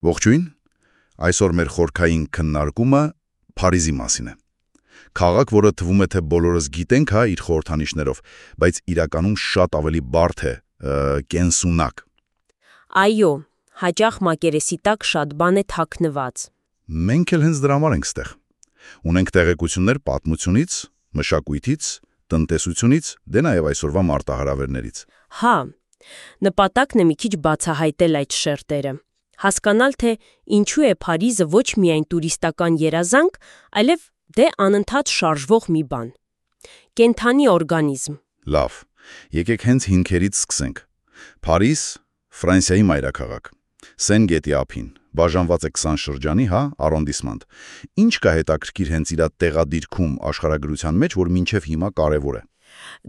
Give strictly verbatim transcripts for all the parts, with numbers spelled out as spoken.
Ողջույն, այսօր մեր խորքային քննարկումը Փարիզի մասին է։ Քաղաք, որը թվում է, թե բոլորս գիտենք հա իր խորհրդանիշներով, բայց իրականում շատ ավելի բարդ է, կենսունակ։ Այո, հաճախ մակերեսի տակ շատ բան է թաքնված։ Մենք էլ հենց դրա համար ենք ստեղ։ Ունենք տեղեկություններ պատմությունից, մշակույթից, տնտեսությունից, դե նաև այսօրվա մարտահրավերներից։ Հա, նպատակն է մի քիչ բացահայտել այդ շերտերը։ Հասկանալ, թե ինչու է Փարիզը ոչ միայն տուրիստական երազանք, այլև դե անընդհատ շարժվող մի բան։ Կենդանի օրգանիզմ։ Լավ, եկեք հենց հիմքերից սկսենք։ Փարիզ, Ֆրանսիայի մայրաքաղաք։ Սեն գետի ափին, բաժանված է քսան շրջանի, հա, արոնդիսմանտ։ Ինչ կա հետաքրքիր հենց իր տեղադիրքում աշխարհագրության մեջ, որ մինչև հիմա կարևոր է։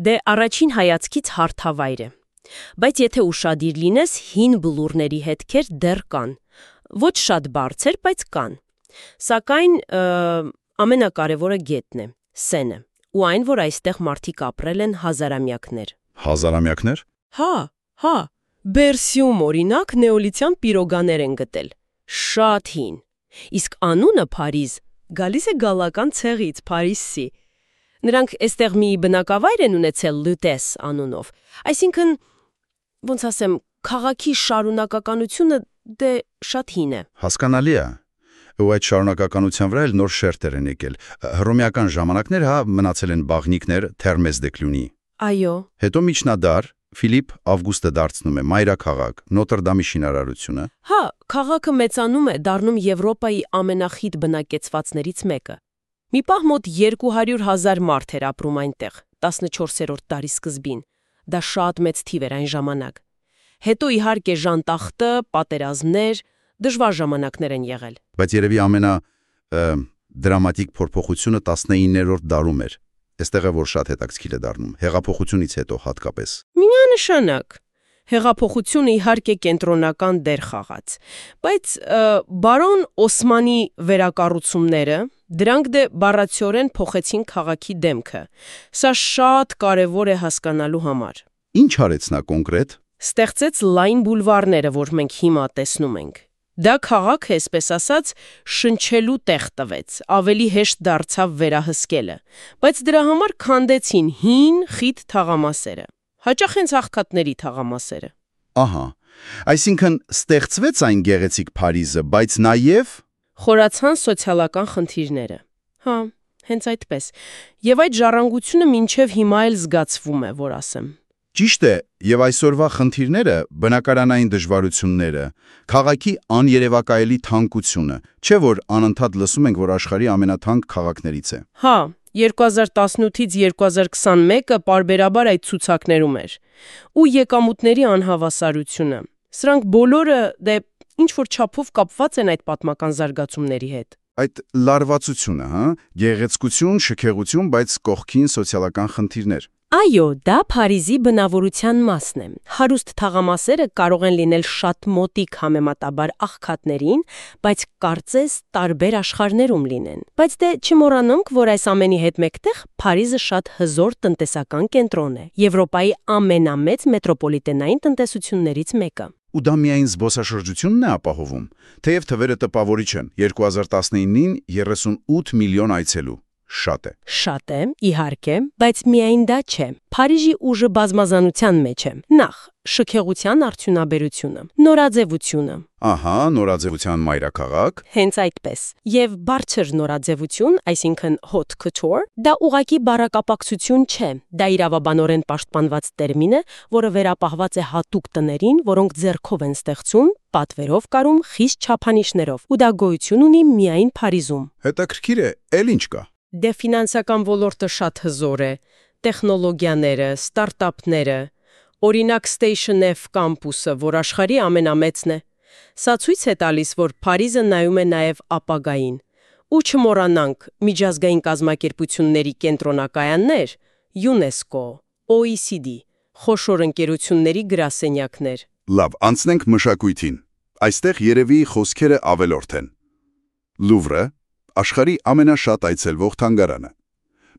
Դե առաջին հայացքից հարթավայր է։ Բայց եթե ուշադիր լինես, հին բլուրների հետքեր դեռ կան։ Ոչ շատ բարձր, բայց կան։ Սակայն ամենակարևորը գետն է, Սենը, ու այն, որ այստեղ մարդիկ ապրել են հազարամյակներ։ Հազարամյակներ։ Հա, հա, Բերսիում օրինակ նեոլիթյան պիրոգաներ են գտել։ Շատ հին։ Իսկ անունը Փարիզ գալիս է գալական ցեղից, Փարիսի։ Նրանք այստեղ մի բնակավայր են ունեցել Լյուտես անունով։ Այսինքն, ոնց ասեմ, քաղաքի շարունակականությունը դե շատ հին է։ Հասկանալի է։ Ու այդ շարունակականության վրա էլ նոր շերտեր են եկել։ Հռոմեական ժամանակներ հա մնացել են բաղնիքներ Թերմես դե Կլյունի։ Այո։ Հետո միջնադար Ֆիլիպ Ավգուստը դարձնում է մայրաքաղաք, Նոտրդամի շինարարությունը։ Հա, քաղաքը մեծանում է, դառնում Եվրոպայի ամենախիտ բնակեցվածներից մեկը։ Մի պահ մոտ երկու հարյուր հազար մարդ էր ապրում այնտեղ, տասնչորսերորդ դարի սկզբին։ Դա շատ մեծ թիվ էր այն ժամանակ։ Հետո իհարկե ժանտախտը, պատերազմներ, դժվար ժամանակներ են եղել։ Բայց երևի ամենա դրամատիկ փոփոխությունը տասնիններորդ դարում էր։ Այստեղ է որ շատ հետաքրքիր է դառնում, հեղափոխությունից հետո հատկապես։ Միանշանակ։ Հեղափոխությունը իհարկե կենտրոնական դեր խաղաց, բայց բարոն Օսմանի վերակառուցումները, դրանք դե բառացիորեն փոխեցին քաղաքի դեմքը։ Սա շատ կարևոր է հասկանալու համար։ Ինչ արեց նա կոնկրետ։ Ստեղծեց լայն բուլվարները, որ մենք հիմա տեսնում ենք։ Դա քաղաքը, այսպես ասած, շնչելու տեղ տվեց, ավելի հեշտ դարձավ վերահսկելը, բայց դրա համար քանդեցին հին, խիտ թաղամասերը, հաճախ հենց աղքատների թաղամասերը։ Ահա, այսինքն ստեղծվեց այն գեղեցիկ Փարիզը, բայց նաև խորացան սոցիալական խնդիրները։ Հա, հենց այդպես։ Եվ այդ ժառանգությունը մինչև հիմա էլ զգացվում է, որ ասեմ։ Ճիշտ է, եւ այսօրվա խնդիրները, բնակարանային դժվարությունները, քաղաքի աներևակայելի թանկությունը, չէ՞ որ անընդհատ լսում ենք, որ աշխարհի ամենաթանկ քաղաքներից է։ Հա, երկու հազար տասնութից երկու հազար քսանմեկը պարբերաբար այդ ցուցակներում էր։ Ու եկամուտների անհավասարությունը։ Սրանք բոլորը դե ինչ որ չափով կապված են այդ պատմական զարգացումների հետ։ Այդ լարվածությունը, հա, գեղեցկություն, շքեղություն, բայց կողքին սոցիալական խնդիրներ։ Այո, դա Փարիզի բնավորության մասն է։ Հարուստ թաղամասերը կարող են լինել շատ մոտիկ համեմատաբար աղքատներին, բայց կարծես տարբեր աշխարհներում լինեն։ Բայց դե չմոռանանք, որ այս ամենի հետ մեկտեղ Փարիզը շատ հզոր տնտեսական կենտրոն է, Եվրոպայի ամենամեծ մետրոպոլիտենային տնտեսություններից մեկը։ Ու դա միայն զբոսաշրջությունն է ապահովում, թեև թվերը տպավորիչ են։ երկու հազար տասնինին երեսունութ միլիոն այցելու։ Շատ է։ Շատ է, իհարկե, բայց միայն դա չէ։ Փարիզի ուժը բազմազանության մեջ է։ Նախ, շքեղության արդյունաբերությունը, նորաձևությունը։ Ահա, նորաձևության մայրաքաղաք։ Հենց այդպես։ Եվ բարձր նորաձևություն, այսինքն haute couture, դա ուղղակի բառակապակցություն չէ։ Դա իրավաբանորեն պաշտպանված տերմին է, որը վերապահված է հատուկ տներին, որոնք ձեռքով են ստեղծում, պատվերով կարում, խիստ չափանիշներով, ու դա գոյություն ունի միայն Փարիզում։ Հետաքրքիր է, էլ ինչ կա։ Դե ֆինանսական ոլորտը շատ հզոր է, տեխնոլոգիաները, ստարտափները, օրինակ Station F կամպուսը, որ աշխարհի ամենամեծն է։ Սա ցույց է տալիս, որ Փարիզը նայում է նաև ապագային։ Ու չմոռանանք միջազգային կազմակերպությունների կենտրոնակայաններ, ՅՈՒՆԵՍԿՕ, O E C D, խոշոր ընկերությունների գրասենյակներ։ Լավ, անցնենք մշակույթին։ Այստեղ երևի խոսքերը ավելորդ են։ Լուվրը աշխարհի ամենաշատ այցելվող թանգարանը։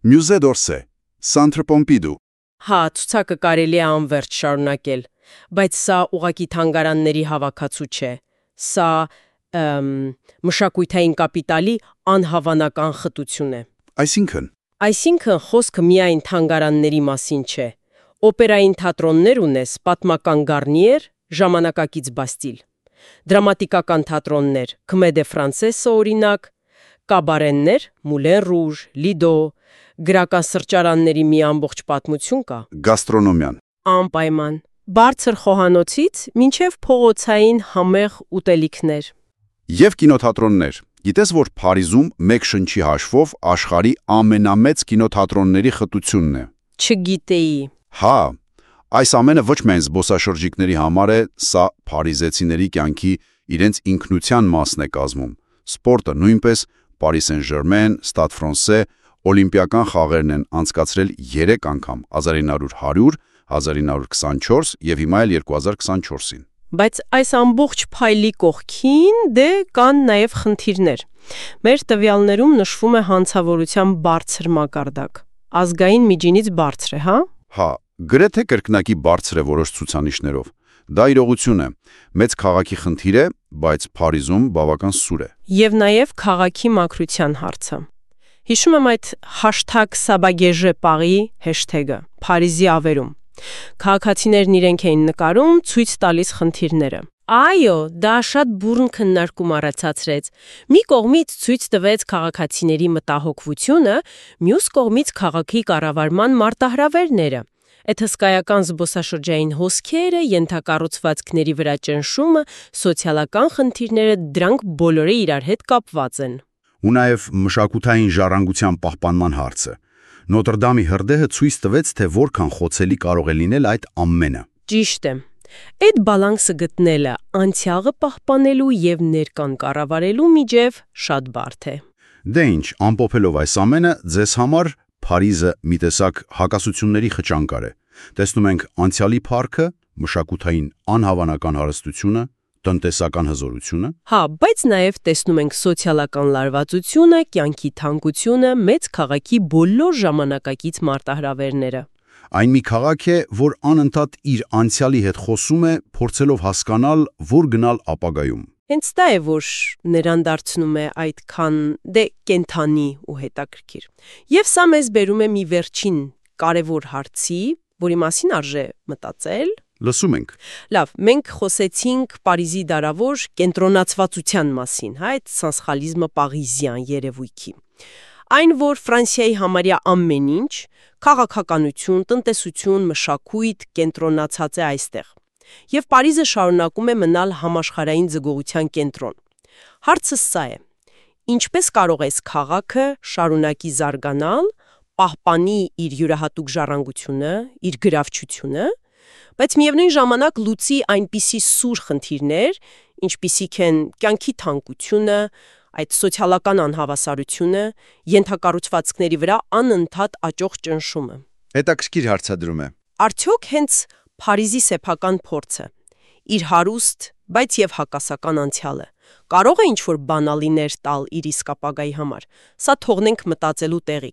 Musée d'Orsay, Centre Pompidou։ Հա, ցուցակը կարելի է անվերջ շարունակել, բայց սա ուղղակի թանգարանների հավաքածու չէ։ Սա ըմ, մշակութային կապիտալի անհավանական խտություն է։ Այսինքն, Այսինքն խոսքը միայն թանգարանների մասին չէ։ Օպերային թատրոններ ունես, պատմական Գարնիեր, ժամանակակից Բաստիլ։ Դրամատիկական թատրոններ, Քմե դե Ֆրանսեսը օրինակ, կաբարեններ, Մուլեն Ռուժ, Լիդո, գրական սրճարանների մի ամբողջ պատմություն կա։ գաստրոնոմիան։ Անպայման։ Բարձր խոհանոցից մինչև փողոցային համեղ ուտելիքներ։ Եվ կինոթատրոններ։ Գիտես, որ Փարիզում մեկ շնչի հաշվով աշխարհի ամենամեծ կինոթատրոնների խտությունն է։ Չգիտեի։ Հա, այս ամենը ոչ միայն զբոսաշրջիկների համար է, սա փարիզեցիների կյանքի իրենց ինքնության մասն է կազմում։ Սպորտը նույնպես, Paris Saint-Germain, Stade Français, օլիմպիական խաղերն են անցկացրել երեք անգամ՝ հազար ինը հարյուր, հազար ինը քսանչորս եւ հիմա էլ երկու հազար քսանչորսին։ Բայց այս ամբողջ փայլի կողքին դե կան նաև խնդիրներ։ Մեր տվյալներում նշվում է հանցավորության բարձր մակարդակ։ Ազգային միջինից բարձր է, հա։ Հա, գրեթե կրկնակի բարձր է որոշ ցուցանիշներով։ Դա իրողություն է։ Մեծ քաղաքի խնդիր է, բայց Փարիզում բավական սուր է։ Եվ նաև քաղաքի մաքրության հարցը։ Հիշում եմ այդ hashtag Sabagege Paris հեշթեգը Փարիզի ավերում։ Քաղաքացիներն իրենք էին նկարում, ցույց տալիս խնդիրները։ Այո, դա շատ բուրն քննարկում առաջացրեց։ Մի կողմից ցույց տվեց քաղաքացիների մտահոգվությունը, մյուս կողմից քաղաքի կառավարման մարտահրավերները։ Այդ հսկայական զբոսաշրջային հոսքերը, ենթակառուցվածքների վրա ճնշումը, սոցիալական խնդիրները, դրանք բոլորը իրար հետ կապված են։ Ու նաև մշակութային ժառանգության պահպանման հարցը։ Նոտրդամի հրդեհը ցույց տվեց, թե որքան խոցելի կարող է լինել այդ ամենը։ Ճիշտ է։ Այդ բալանսը գտնելը անցյալը պահպանելու եւ ներկան կառավարելու միջև շատ բարդ է։ Դե ինչ, ամփոփելով այս ամենը, ձեզ համար Փարիզը մի տեսակ հակասությունների խճանկար է։ Տեսնում ենք անցյալի փառքը, մշակութային անհավանական հարստությունը, տնտեսական հզորությունը։ Հա, բայց նաև տեսնում ենք սոցիալական լարվածությունը, կյանքի թանկությունը, մեծ քաղաքի բոլոր ժամանակակից մարտահրավերները։ Այն մի քաղաք է, որ անընդհատ իր անցյալի հետ խոսում է, փորձելով հասկանալ, որ գնալ ապագայում։ Հենց դա է, որ նրան դարձնում է այդքան դե կենթանի ու հետաքրքիր։ Եվ սա մեզ բերում է մի վերջին կարևոր հարցի, որի մասին արժե մտածել։ Լսում ենք։ Լավ, մենք խոսեցինք Փարիզի դարավոր կենտրոնացվածության մասին, հա, այդ սանսխալիզմը պարիզյան երևույթի։ Այն, որ Ֆրանսիայի համարյա ամեն ինչ, քաղաքականություն, տնտեսություն, մշակույթ կենտրոնացած է այստեղ։ Եվ Փարիզը շարունակում է մնալ համաշխարհային զգոյության կենտրոն։ Հարցը սա է. ինչպես կարող է քաղաքը շարունակի զարգանալ, պահպանի իր յուրահատուկ ժառանգությունը, իր գրավչությունը, բայց միևնույն ժամանակ լուծի այնպիսի սուր խնդիրներ, ինչպիսիք են կյանքի թանկությունը, այդ սոցիալական անհավասարությունը, ենթակառուցվածքների վրա անընդհատ աճող ճնշումը։ Հետաքրքիր հարցադրում է։ Արդյոք հենց Փարիզի սեփական փորձը, իր հարուստ, բայց եւ հակասական անցյալը, կարող է ինչ-որ բանալիներ տալ իր իսկ ապագայի համար։ Սա թողնենք մտածելու տեղի։